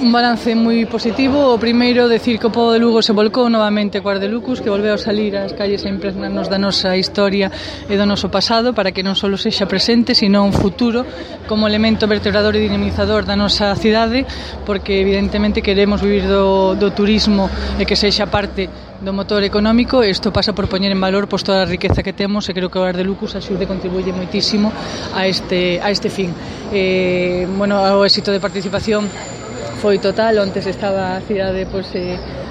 Un balance moi positivo. O primeiro, decir que o pobo de Lugo se volcou novamente coa Arde Lucus, que volveu a salir ás calles a impregnarnos da nosa historia e do noso pasado, para que non só sexa presente, sino un futuro como elemento vertebrador e dinamizador da nosa cidade, porque evidentemente queremos vivir do turismo e que sexa parte do motor económico. Isto pasa por poñer en valor toda a riqueza que temos, e creo que o Arde Lucus axude e contribuye moitísimo a este fin. O éxito de participación foi total. Ontes estaba a cidade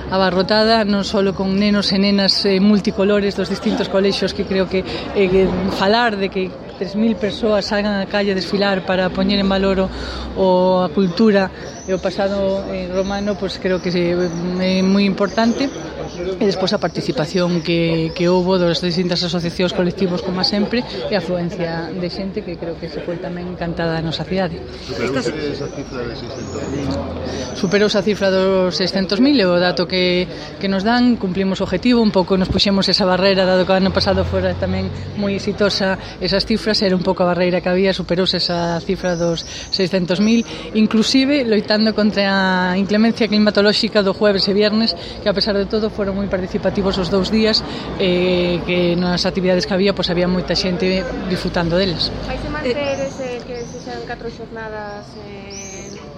abarrotada, non só con nenos e nenas multicolores dos distintos colexios, que creo que falar de que 3.000 persoas salgan á calle a desfilar para poñer en valor a cultura e o pasado romano, creo que é moi importante. E despois a participación que houbo das distintas asociacións, colectivos, como sempre, e a afluencia de xente que creo que se foi tamén encantada a nosa cidade. Superouse esa cifra de 600.000? Superouse a cifra dos 600.000, é o dato que nos dan. Cumplimos o objetivo, un pouco nos puxemos esa barreira, dado que o ano pasado fora tamén moi exitosa esas cifras, era un pouco a barreira que había. Superouse esa cifra dos 600.000, inclusive loitando contra a inclemencia climatolóxica do jueves e viernes, que a pesar de todo foron moi participativos os 2 días, que nas actividades que había, había moita xente disfrutando delas. Vai se manter que se sean 4 xornadas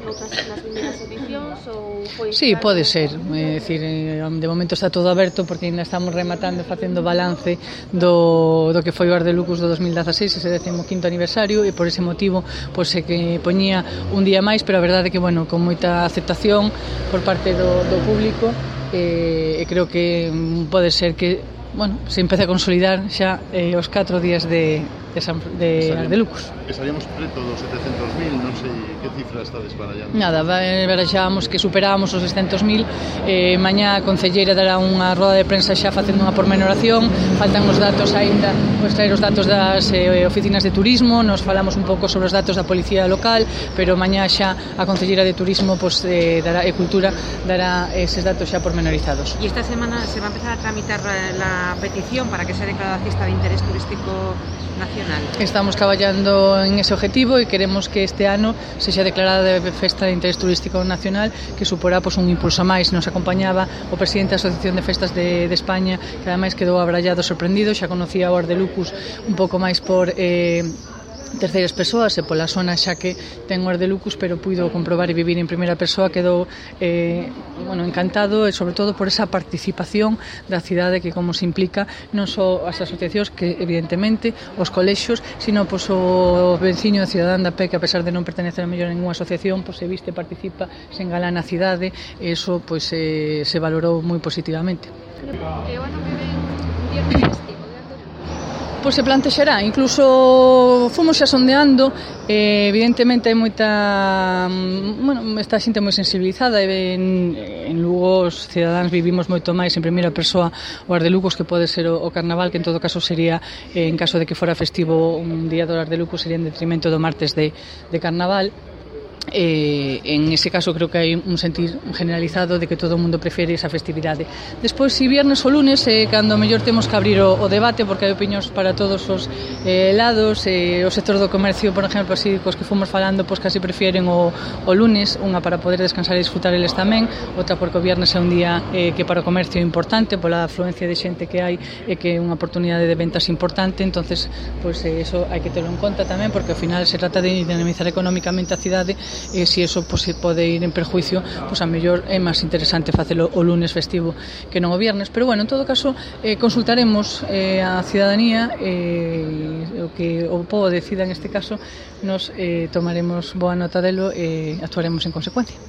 nas primeiras edicións, ou foi? Sí, pode ser. É dicir, de momento está todo aberto, porque ainda estamos rematando, facendo balance do que foi o Arde Lucus do 2016, ese 15º aniversario, e por ese motivo se que poñía un día máis, pero a verdade é que, con moita aceptación por parte do público, e creo que pode ser que se empece a consolidar xa os 4 días de Arde Lucus. Estaríamos preto dos 700.000, non sei que cifra estades barallando. Nada, barallábamos que superábamos os 600.000. Mañá a concelleira dará unha roda de prensa xa facendo unha pormenoración. Faltan os datos aínda, traer os datos das oficinas de turismo. Nos falamos un pouco sobre os datos da policía local, pero mañá xa a concelleira de turismo e cultura dará eses datos xa pormenorizados. E esta semana se va a empezar a tramitar la petición para que sea declarada cesta de interés turístico nacional. Estamos traballando en ese objetivo e queremos que este ano sexa declarada de festa de interés turístico nacional, que suporá un impulso máis. Nos acompañaba o presidente da Asociación de Festas de España, que ademais quedou abrallado, sorprendido. Xa conocía o Arde Lucus un pouco máis por terceiras persoas e pola zona xa que ten o Arde Lucus, pero puido comprobar e vivir en primeira persoa. Quedou encantado, e sobre todo por esa participación da cidade, que como se implica non só as asociacións, que evidentemente os colexios, sino o veciño cidadán da pé, que a pesar de non pertenecer a mellor a ninguna asociación, se viste, participa, se engalana a cidade, e iso se valorou moi positivamente. E o ano que ven un viernes festivo? Se plantexará, incluso fomos xa sondeando, evidentemente hai moita, esta xente moi sensibilizada, e en Lugo os cidadáns vivimos moito máis en primeira persoa o Arde Lucus, que pode ser o carnaval, que en todo caso sería, en caso de que fora festivo un día do Arde Lucus, sería en detrimento do martes de carnaval. En ese caso creo que hai un sentir generalizado de que todo o mundo prefere esa festividade. Despois, si viernes ou lunes, cando mellor temos que abrir o debate, porque hai opinións para todos os lados. O sector do comercio, por exemplo, así cos que fomos falando, casi prefieren o lunes, unha para poder descansar e disfrutar eles tamén, outra porque o viernes é un día que para o comercio é importante, pola afluencia de xente que hai, e que é unha oportunidade de ventas importante. Entonces, eso hai que terlo en conta tamén, porque ao final se trata de dinamizar económicamente a cidade, e se iso se pode ir en perjuicio, a mellor é máis interesante facelo o lunes festivo que non o viernes. Pero en todo caso consultaremos a cidadanía, o que o povo decida. En este caso nos tomaremos boa nota delo e actuaremos en consecuencia.